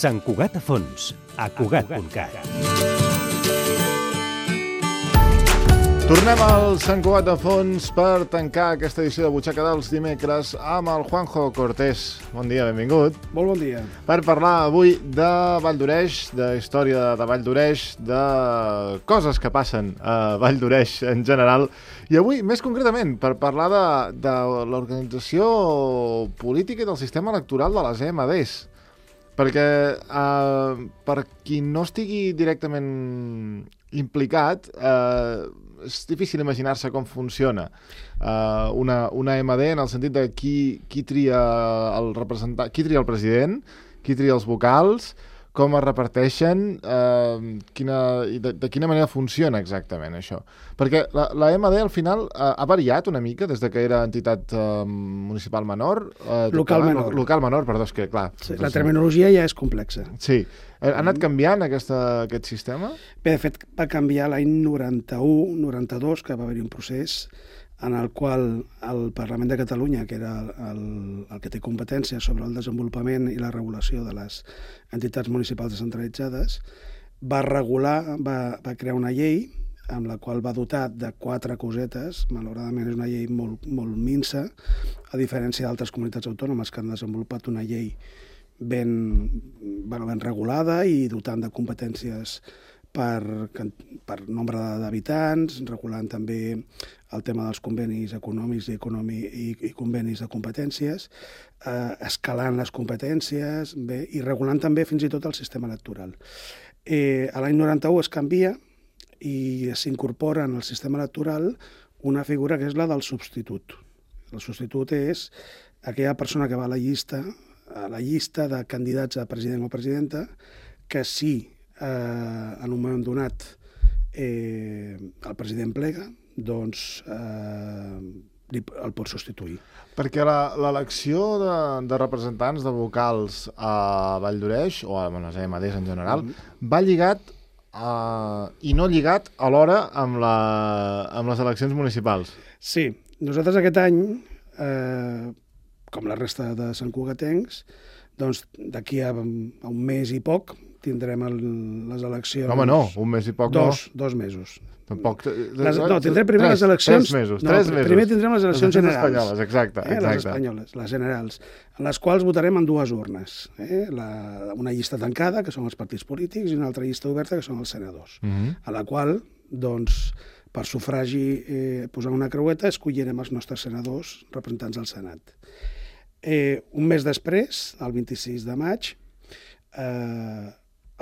Sant Cugat a fons, a Cugat.cat. Tornem al Sant Cugat a fons per tancar aquesta edició de Butxaca dels dimecres amb el Juanjo Cortés. Bon dia, benvingut. Molt bon dia. Per parlar avui de Vall d'Oreix, de història de Vall d'Oreix, de coses que passen a Vall d'Oreix en general. I avui, més concretament, per parlar de l'organització política i del sistema electoral de les EMDs. Perquè per qui no estigui directament implicat, és difícil imaginar-se com funciona una EMD en el sentit de qui tria el representant, qui tria el president, qui tria els vocals, com es reparteixen, de quina manera funciona exactament això. Perquè la EMD al final ha variat una mica des de que era entitat municipal menor. Local menor. Local menor, perdó, és que clar. Sí, la terminologia ja és complexa. Sí. Ha anat canviant aquest sistema? Bé, de fet, va canviar l'any 91-92, que va haver-hi un procés en el qual el Parlament de Catalunya, que era el que té competència sobre el desenvolupament i la regulació de les entitats municipals descentralitzades, va crear una llei amb la qual va dotar de 4 cosetes. Malauradament és una llei molt, molt minsa, a diferència d'altres comunitats autònomes que han desenvolupat una llei ben regulada i dotant de competències per nombre d'habitants, regulant també el tema dels convenis econòmics i convenis de competències, escalant les competències i regulant també fins i tot el sistema electoral. A l'any 91 es canvia i s'incorpora en el sistema electoral una figura que és la del substitut. El substitut és aquella persona que va a la llista de candidats a president o presidenta que si en un moment donat el president plega, doncs el pot substituir. Perquè l'elecció de representants de vocals a Vall d'Oreix, o a les EMDs en general, va lligat i no lligat alhora amb les eleccions municipals. Sí, nosaltres aquest any, com la resta de santcugatencs, doncs d'aquí a un mes i poc tindrem les eleccions... Home, no, un mes i poc no. 2 mesos. Tampoc... No, tindrem primer les eleccions... 3 mesos. Primer tindrem les eleccions generals. Espanyoles, exacte. Les espanyoles, les generals, en les quals votarem en 2 urnes. Una llista tancada, que són els partits polítics, i una altra llista oberta, que són els senadors. A la qual, doncs, per sufragi posant una creueta, escollirem els nostres senadors representants al Senat. Un mes després, el 26 de maig,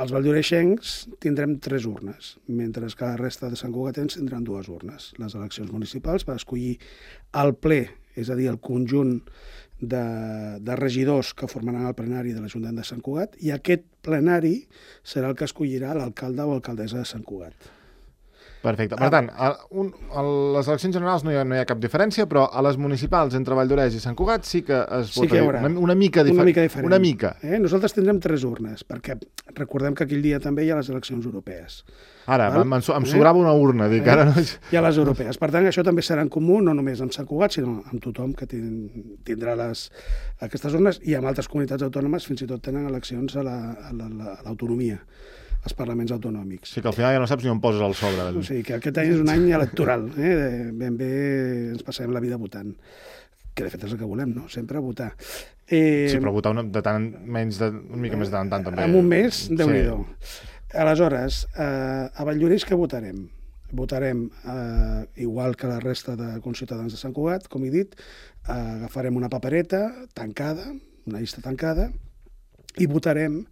els valldoreixencs tindrem 3 urnes, mentre que la resta de santcugatens tindran 2 urnes. Les eleccions municipals per escollir el ple, és a dir, el conjunt de regidors que formaran el plenari de l'Ajuntament de Sant Cugat, i aquest plenari serà el que escollirà l'alcalde o alcaldessa de Sant Cugat. Perfecte. Per tant, a les eleccions generals no hi ha cap diferència, però a les municipals entre Vall d'Oreix i Sant Cugat sí que es votarà una mica diferent. Una mica. Nosaltres tindrem 3 urnes, perquè recordem que aquell dia també hi ha les eleccions europees. Ara, em sobrava una urna. Dic, ara no... Hi ha les europees. Per tant, això també serà en comú, no només amb Sant Cugat, sinó amb tothom que tindrà aquestes urnes, i amb altres comunitats autònomes fins i tot tenen eleccions a l'autonomia, als parlaments autonòmics. Sí, que al final ja no saps ni on poses el sobre. O sigui, que aquest any és un any electoral. Ben bé ens passem la vida votant. Que de fet és el que volem, no? Sempre votar. Sí, però votar una mica més de tant també. En un mes, Déu-n'hi-do. Aleshores, a Vall d'Oreix què votarem? Votarem, igual que la resta de conciutadans de Sant Cugat, com he dit, agafarem una papereta tancada, una llista tancada, i votarem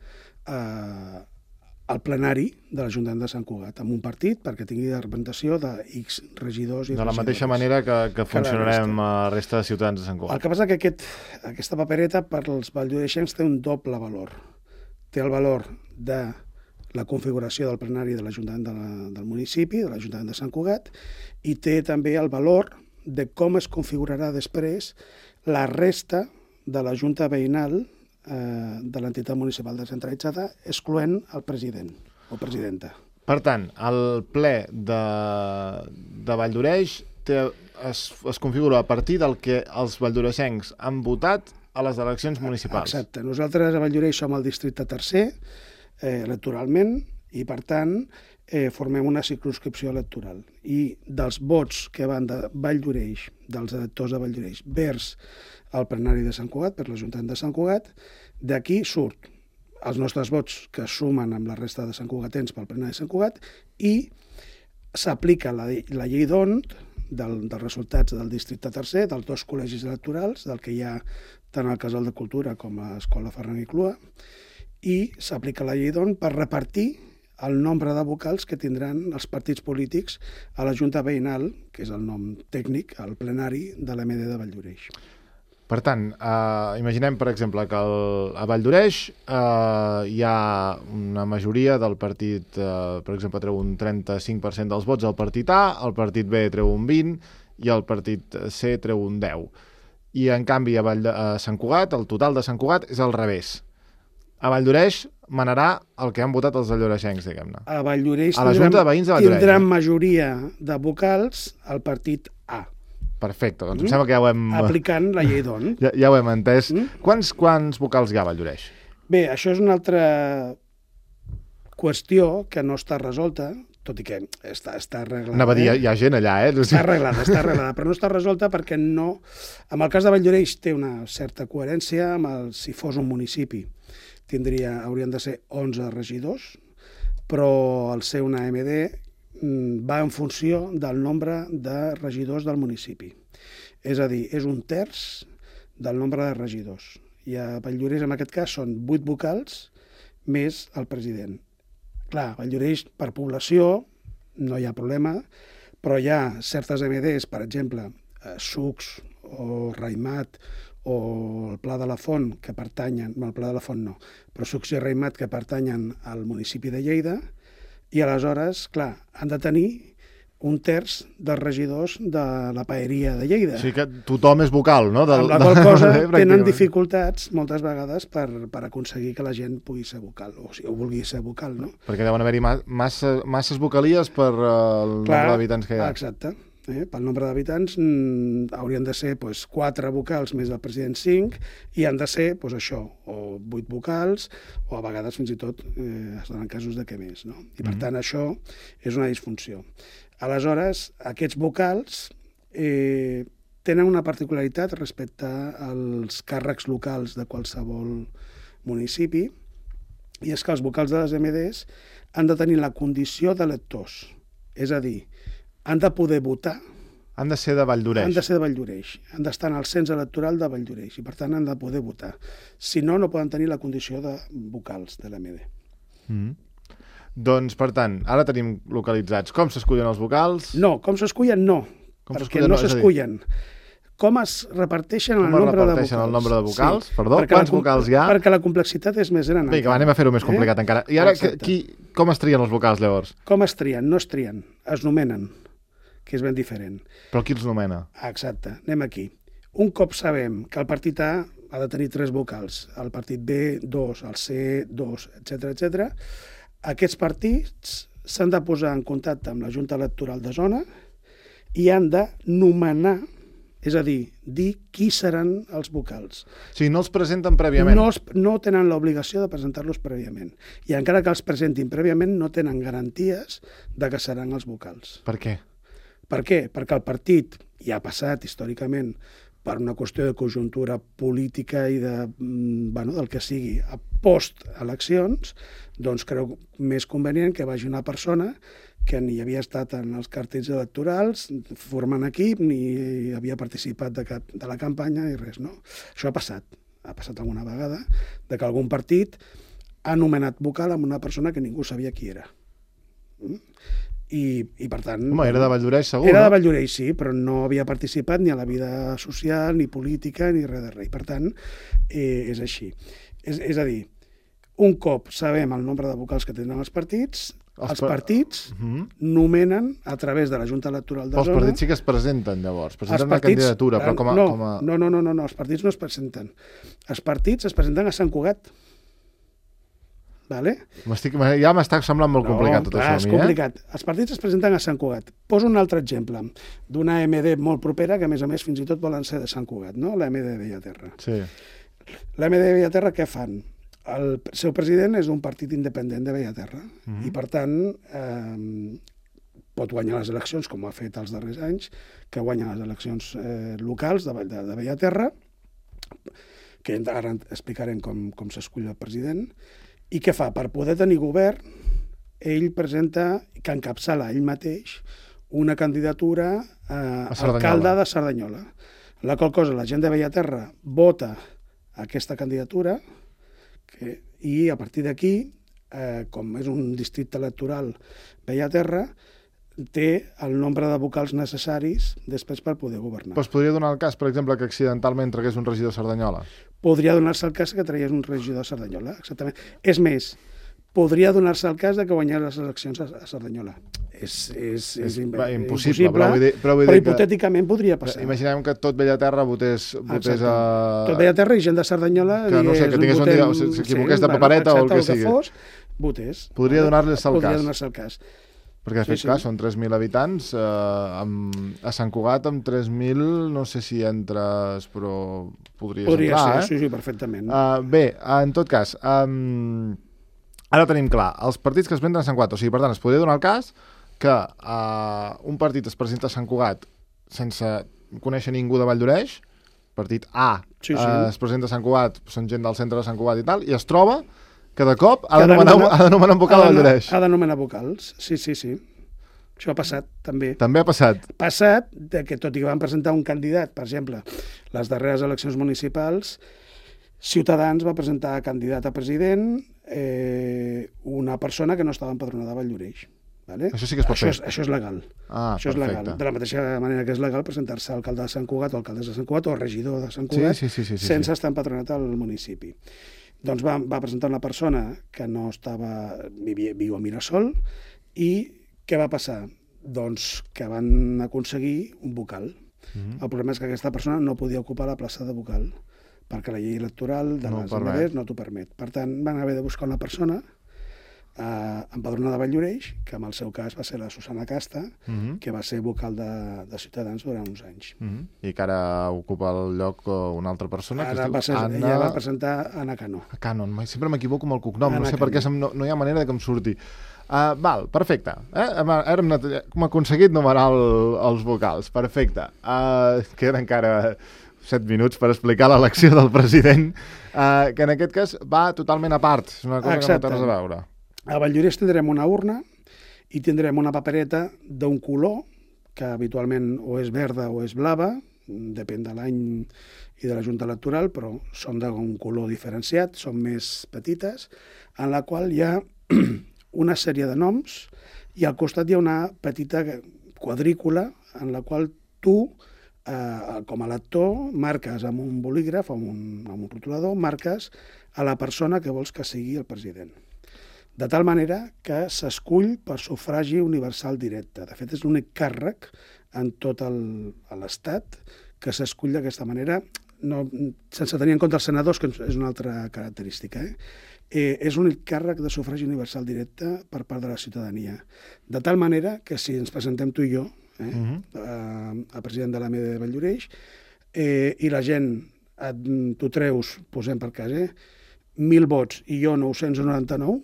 al plenari de l'Ajuntament de Sant Cugat, amb un partit perquè tingui la representació de X regidors i regidores. De la mateixa manera que funcionarem a la resta de ciutadans de Sant Cugat. El que passa que aquesta papereta per als valldoreixencs té un doble valor. Té el valor de la configuració del plenari de l'Ajuntament del municipi, de l'Ajuntament de Sant Cugat, i té també el valor de com es configurarà després la resta de la Junta Veïnal de l'entitat municipal descentralitzada, excloent el president o presidenta. Per tant, el ple de Vall d'Oreix es configura a partir del que els valldoreixencs han votat a les eleccions municipals. Exacte. Nosaltres a Valldoreix som el districte tercer, electoralment, i per tant formem una circumscripció electoral. I dels vots que van de Valldoreix, dels electors de Valldoreix, vers el plenari de Sant Cugat, per l'Ajuntament de Sant Cugat, d'aquí surt els nostres vots que es sumen amb la resta de santcugatens pel plenari de Sant Cugat i s'aplica la llei d'ONT dels resultats del districte tercer, dels dos col·legis electorals, del que hi ha tant al Casal de Cultura com a l'Escola Ferran i Clua, i s'aplica la llei d'ONT per repartir el nombre de vocals que tindran els partits polítics a la Junta Veïnal, que és el nom tècnic, al plenari de l'MD de Valldoreix. Per tant, imaginem, per exemple, que a Valldoreix hi ha una majoria del partit, per exemple, treu un 35% dels vots al partit A, el partit B treu un 20% i el partit C treu un 10%. I, en canvi, a Sant Cugat, el total de Sant Cugat és al revés. A Valldoreix manarà el que han votat els valldoreixencs, diguem-ne. A Valldoreix a la Junta de Veïns de Valldoreix. Tindran majoria de vocals al partit A. Perfecte, doncs em sembla que ja ho hem... Aplicant la llei d'ONT. Ja ho hem entès. Quants vocals hi ha a Valldoreix? Bé, això és una altra qüestió que no està resolta, tot i que està arreglada. Anava a dir, hi ha gent allà, Està arreglada, però no està resolta perquè no... En el cas de Valldoreix té una certa coherència si fos un municipi. Haurien de ser 11 regidors, però al ser una AMD va en funció del nombre de regidors del municipi. És a dir, és un terç del nombre de regidors. I a Valldoreix, en aquest cas, són 8 vocals més el president. Clar, Valldoreix, per població, no hi ha problema, però hi ha certes AMDs, per exemple, Sucs o Raimat o el Pla de la Font, que pertanyen, el Pla de la Font no, però Sucs i Raimat que pertanyen al municipi de Lleida, i aleshores, clar, han de tenir un terç dels regidors de la paeria de Lleida. O sigui que tothom és vocal, no? Amb la qual cosa tenen dificultats moltes vegades per aconseguir que la gent pugui ser vocal, o vulgui ser vocal, no? Perquè deuen haver-hi masses vocalies per el nombre d'habitants que hi ha. Exacte. Pel nombre d'habitants haurien de ser 4 vocals més el president 5 i han de ser això, o 8 vocals o a vegades fins i tot es donen casos de què més, no? I per tant això és una disfunció. Aleshores, aquests vocals tenen una particularitat respecte als càrrecs locals de qualsevol municipi i és que els vocals de les MDs han de tenir la condició d'electors, és a dir, han de poder votar. Han de ser de Valldoreix. Han de ser de Valldoreix. Han d'estar en el cens electoral de Valldoreix i, per tant, han de poder votar. Si no, no poden tenir la condició de vocals de l'AMD. Doncs, per tant, ara tenim localitzats com s'escullen els vocals... No, com s'escullen no, perquè no s'escullen. Com es reparteixen el nombre de vocals? Sí. Perdó, quants vocals hi ha? Perquè la complexitat és més gran. Vinga, anem a fer-ho més complicat encara. I ara, com es trien els vocals, llavors? Com es trien? No es trien, es nomenen, que és ben diferent. Però qui els nomena? Exacte, anem aquí. Un cop sabem que el partit A ha de tenir 3 vocals, el partit B 2, el C 2, etc. Aquests partits s'han de posar en contacte amb la Junta Electoral de Zona i han de nomenar, és a dir qui seran els vocals. O sigui, no els presenten prèviament? No tenen l'obligació de presentar-los prèviament. I encara que els presentin prèviament, no tenen garanties de que seran els vocals. Per què? Per què? Perquè el partit ja ha passat històricament per una qüestió de conjuntura política i del que sigui a post-eleccions, doncs creu més convenient que vagi una persona que ni havia estat en els cartells electorals, formant equip, ni havia participat de la campanya i res, no? Això ha passat alguna vegada, de que algun partit ha nomenat vocal amb una persona que ningú sabia qui era. I per tant... Home, era de Valldoreix, segur, Era de Valldoreix, sí, però no havia participat ni a la vida social, ni política, ni res de res. Per tant, és així. És a dir, un cop sabem el nombre de vocals que tenen els partits, els partits nomenen a través de la Junta Electoral de Zona... Els partits sí que es presenten, llavors. Presenten una candidatura, però com a... No, els partits no es presenten. Els partits es presenten a Sant Cugat. Vale? Ja m'està semblant molt complicat tot això a mi, és complicat. Els partits es presenten a Sant Cugat. Poso un altre exemple d'una AMD molt propera que, a més, fins i tot volen ser de Sant Cugat, no? L'AMD de Bellaterra. Sí. L'AMD de Bellaterra què fan? El seu president és d'un partit independent de Bellaterra i, per tant, pot guanyar les eleccions, com ha fet els darrers anys, que guanya les eleccions locals de Bellaterra, que ara explicarem com s'escull el president, i què fa? Per poder tenir govern, ell presenta, que encapçala ell mateix, una candidatura a alcalde de Cerdanyola. La qual cosa, la gent de Bellaterra vota aquesta candidatura i a partir d'aquí, com és un districte electoral Bellaterra, té el nombre de vocals necessaris després per poder governar. Però es podria donar el cas, per exemple, que accidentalment tragués un regidor a Cerdanyola? Podria donar-se el cas que tragués un regidor a Cerdanyola, exactament. És més, podria donar-se el cas de que guanyés les eleccions a Cerdanyola. És impossible, però hipotèticament podria passar. Imaginem que tot Bellaterra votés a... Tot Bellaterra i gent de Cerdanyola que no sé, que tingués un dia, s'equivoqués de papereta o el que sigui. Votés. Podria donar-se el cas. Perquè, de fet, clar, són 3.000 habitants. A Sant Cugat, amb 3.000, no sé si entres, però podria ser, sí, perfectament. Bé, en tot cas, ara tenim clar, els partits que es presenten a Sant Cugat, o sigui, per tant, es podria donar el cas que un partit es presenta a Sant Cugat sense conèixer ningú de Valldoreix, partit A es presenta a Sant Cugat, són gent del centre de Sant Cugat i tal, i es troba que de cop ha d'anomenar un vocal a Valldoreix. Ha d'anomenar vocals, sí. Això ha passat, també. També ha passat. Ha passat que, tot i que van presentar un candidat, per exemple, les darreres eleccions municipals, Ciutadans va presentar candidat a president una persona que no estava empadronada a Valldoreix. Vale? Això sí que es pot fer. Això és legal. Això és legal. De la mateixa manera que és legal presentar-se a alcalde de Sant Cugat o alcaldessa de Sant Cugat o regidor de Sant Cugat sense estar empadronat al municipi. Doncs va presentar una persona que no viu a Mirasol i què va passar? Doncs que van aconseguir un vocal. El problema és que aquesta persona no podia ocupar la plaça de vocal perquè la llei electoral de les AMD no t'ho permet. Per tant, van haver de buscar una persona empadronada de Valldoreix, que en el seu cas va ser la Susana Casta, que va ser vocal de Ciutadans durant uns anys. I que ara ocupa el lloc una altra persona, que es diu Anna... Ella va presentar Anna Cano. Cano, sempre m'equivoco amb el cognom, no sé per què no hi ha manera que em surti. Val, perfecte. Hem aconseguit numerar els vocals, perfecte. Queden encara 7 minuts per explicar l'elecció del president, que en aquest cas va totalment a part, és una cosa que no té res a veure. A Valldoreix tindrem una urna i tindrem una papereta d'un color, que habitualment o és verda o és blava, depèn de l'any i de la Junta Electoral, però són d'un color diferenciat, són més petites, en la qual hi ha una sèrie de noms i al costat hi ha una petita quadrícula en la qual tu, com a lector, marques amb un bolígraf o amb un rotulador, marques a la persona que vols que sigui el president. De tal manera que s'escull per sufragi universal directe. De fet, és l'únic càrrec en tot l'Estat que s'escull d'aquesta manera, sense tenir en compte els senadors, que és una altra característica. És l'únic càrrec de sufragi universal directe per part de la ciutadania. De tal manera que si ens presentem tu i jo, a president de l'AMD de Valldoreix, i la gent, tu treus, posem per cas, 1.000 vots i jo 999,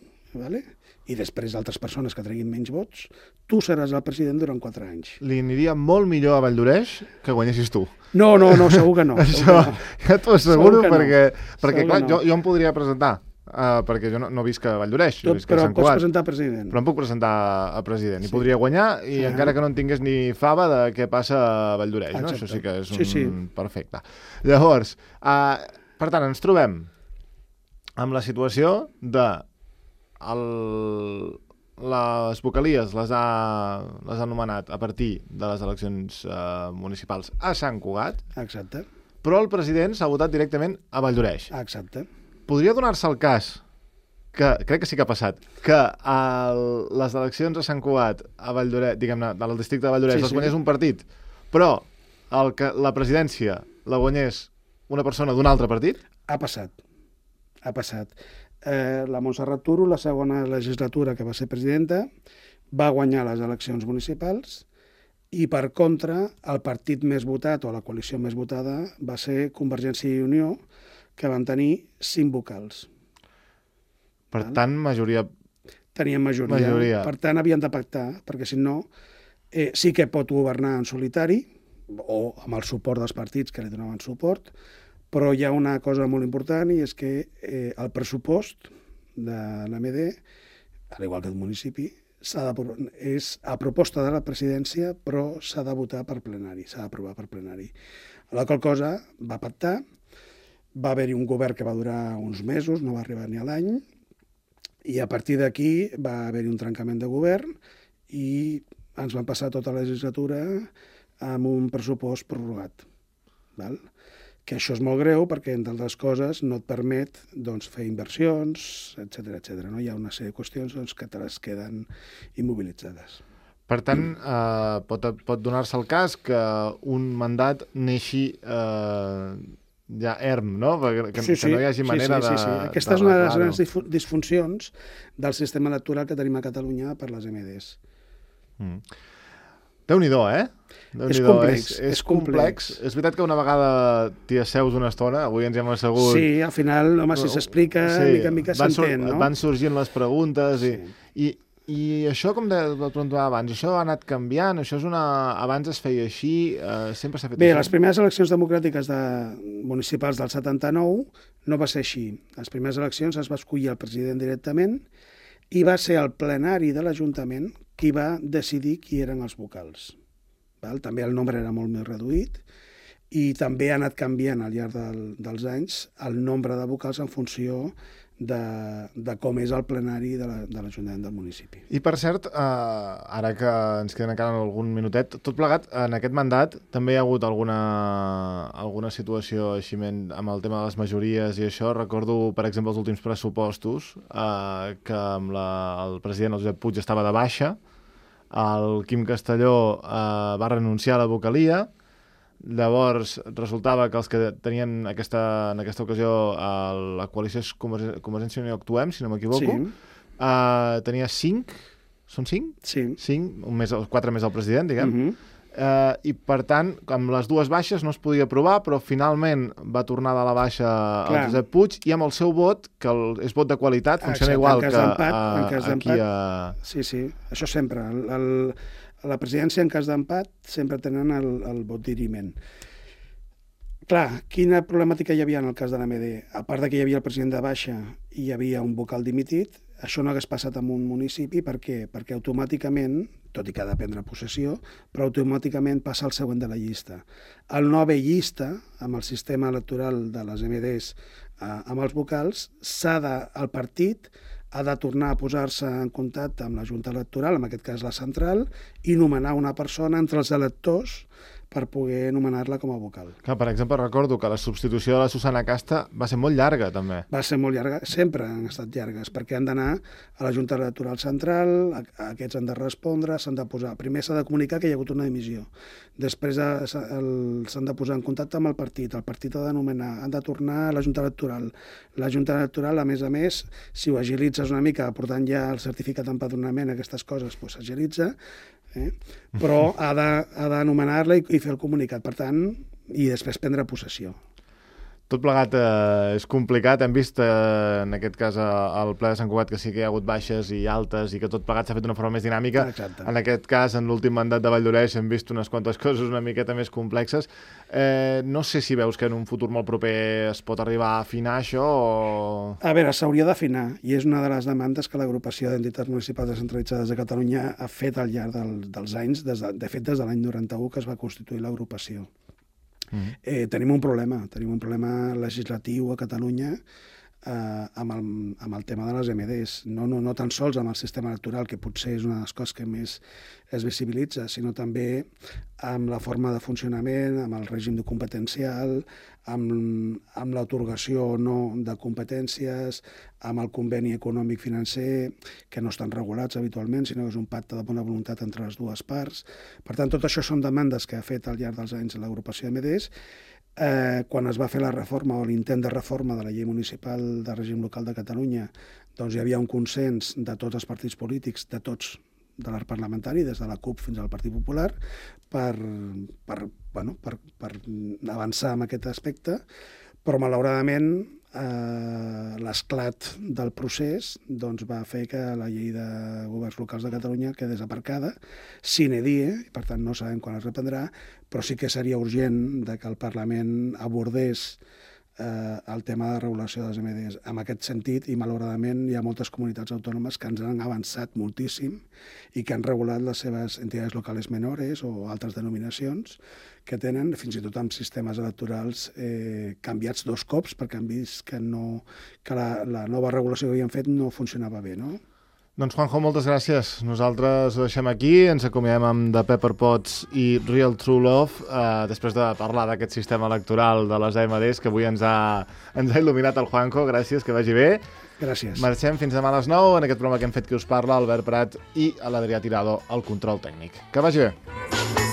i després altres persones que treguin menys vots, tu seràs el president durant 4 anys. Li aniria molt millor a Valldoreix que guanyessis tu. No, segur que no. Això ja t'ho asseguro, perquè clar, jo em podria presentar, perquè jo no visc a Valldoreix, jo visc a Sant Cugat. Però pots presentar a president. Però em puc presentar a president i podria guanyar, i encara que no en tingués ni fava de què passa a Valldoreix. Això sí que és un perfecte. Llavors, per tant, ens trobem amb la situació de les vocalies les ha nomenat a partir de les eleccions municipals a Sant Cugat. Exacte. Però el president s'ha votat directament a Valldoreix. Exacte. Podria donar-se el cas, que crec que sí que ha passat, que les eleccions a Sant Cugat, a Valldoreix, diguem-ne, del districte de Valldoreix, les guanyés un partit, però la presidència la guanyés una persona d'un altre partit? Ha passat. La Montserrat Turo, la segona legislatura que va ser presidenta, va guanyar les eleccions municipals i, per contra, el partit més votat o la coalició més votada va ser Convergència i Unió, que van tenir 5 vocals. Per tant, majoria... Tenien majoria. Per tant, havien de pactar, perquè si no, sí que pot governar en solitari, o amb el suport dels partits que li donaven suport, però hi ha una cosa molt important i és que el pressupost de l'AMD, al igual que el municipi, és a proposta de la presidència, però s'ha de votar per plenari, s'ha d'aprovar per plenari. La qual cosa va pactar, va haver-hi un govern que va durar uns mesos, no va arribar ni a l'any, i a partir d'aquí va haver-hi un trencament de govern i ens van passar tota la legislatura amb un pressupost prorrogat. Val? Que això és molt greu perquè, entre altres coses, no et permet fer inversions, etc. No? Hi ha una sèrie de qüestions que te les queden immobilitzades. Per tant, pot donar-se el cas que un mandat neixi ja erm, no? Que no hi hagi manera de... Aquesta és una de les grans disfuncions del sistema electoral que tenim a Catalunya per les MDs. Déu-n'hi-do, És complex. És veritat que una vegada t'hi asseus una estona, avui ens hem assegut... Sí, al final, home, si s'explica, mica en mica s'entén, no? Van sorgint les preguntes i això, com preguntava abans, això ha anat canviant, això és abans es feia així, sempre s'ha fet així? Bé, així? Les primeres eleccions democràtiques municipals del 79 no va ser així. Les primeres eleccions es va escollir el president directament i va ser el plenari de l'Ajuntament qui va decidir qui eren els vocals. També el nombre era molt més reduït i també ha anat canviant al llarg dels anys el nombre de vocals en funció de com és el plenari de l'Ajuntament del municipi. I per cert, ara que ens queden encara algun minutet, tot plegat, en aquest mandat també hi ha hagut alguna situació així amb el tema de les majories i això. Recordo, per exemple, els últims pressupostos que amb el president, el Josep Puig, estava de baixa, el Quim Castelló va renunciar a la vocalia. Llavors resultava que els que tenien en aquesta ocasió la coalició és Convergència i Unió Actuem, si no m'equivoco, tenia 5, són 5? Sí. 5, 4 més el president, diguem. I per tant, amb les dues baixes no es podia aprovar, però finalment va tornar de la baixa el Josep Puig i amb el seu vot, que és vot de qualitat, funciona igual que aquí a... Sí, això sempre. La presidència, en cas d'empat, sempre tenen el vot diriment. Clar, quina problemàtica hi havia en el cas de l'AMD? A part que hi havia el president de baixa i hi havia un vocal dimitit, això no hagués passat en un municipi. Per què? Perquè automàticament, tot i que ha de prendre possessió, però automàticament passa al següent de la llista. Al no haver llista, amb el sistema electoral de les MDs amb els vocals, el partit ha de tornar a posar-se en contacte amb la Junta Electoral, en aquest cas la central, i nomenar una persona entre els electors per poder nomenar-la com a vocal. Clar, per exemple, recordo que la substitució de la Susana Casta va ser molt llarga, també. Va ser molt llarga, sempre han estat llargues, perquè han d'anar a la Junta Electoral Central, aquests han de respondre, s'han de posar... Primer s'ha de comunicar que hi ha hagut una dimissió, després s'han de posar en contacte amb el partit ha de nomenar, han de tornar a la Junta Electoral. La Junta Electoral, a més, si ho agilitzes una mica, portant ja el certificat d'empadronament, aquestes coses, doncs s'agilitza, però ha de nomenar-la i fer el comunicat, per tant, i després prendre possessió. Tot plegat és complicat. Hem vist en aquest cas al ple de Sant Cugat que sí que hi ha hagut baixes i altes i que tot plegat s'ha fet d'una forma més dinàmica. Exacte. En aquest cas, en l'últim mandat de Valldoreix hem vist unes quantes coses una miqueta més complexes. No sé si veus que en un futur molt proper es pot arribar a afinar això o... A veure, s'hauria d'afinar i és una de les demandes que l'agrupació d'entitats municipals descentralitzades de Catalunya ha fet al llarg dels anys, de fet des de l'any 91 que es va constituir l'agrupació. Tenim un problema legislatiu a Catalunya amb el tema de les MDs, no tan sols amb el sistema electoral, que potser és una de les coses que més es visibilitza, sinó també amb la forma de funcionament, amb el règim competencial, amb l'atorgació o no de competències, amb el conveni econòmic financer, que no estan regulats habitualment, sinó que és un pacte de bona voluntat entre les dues parts. Per tant, tot això són demandes que ha fet al llarg dels anys l'agrupació MDs. Quan es va fer la reforma o l'intent de reforma de la llei municipal de règim local de Catalunya, doncs hi havia un consens de tots els partits polítics, de tots, de l'arc parlamentari, des de la CUP fins al Partit Popular, per avançar en aquest aspecte, Però, malauradament, l'esclat del procés va fer que la llei de governs locals de Catalunya quedés aparcada, sine die, i per tant no sabem quan es reprendrà, però sí que seria urgent que el Parlament abordés el tema de regulació dels MDs en aquest sentit, i malauradament hi ha moltes comunitats autònomes que ens han avançat moltíssim i que han regulat les seves entitats locals menores o altres denominacions que tenen, fins i tot amb sistemes electorals canviats 2 cops perquè han vist que la nova regulació que havien fet no funcionava bé, no? Doncs, Juanjo, moltes gràcies. Nosaltres ho deixem aquí, ens acomiadem amb The Pepper Pots i Real True Love, després de parlar d'aquest sistema electoral de les AMDs, que avui ens ha il·luminat el Juanjo. Gràcies, que vagi bé. Gràcies. Marxem fins demà a les 9, en aquest programa que hem fet Qui us parla, Albert Prat i l'Adrià Tirado, al control tècnic. Que vagi bé.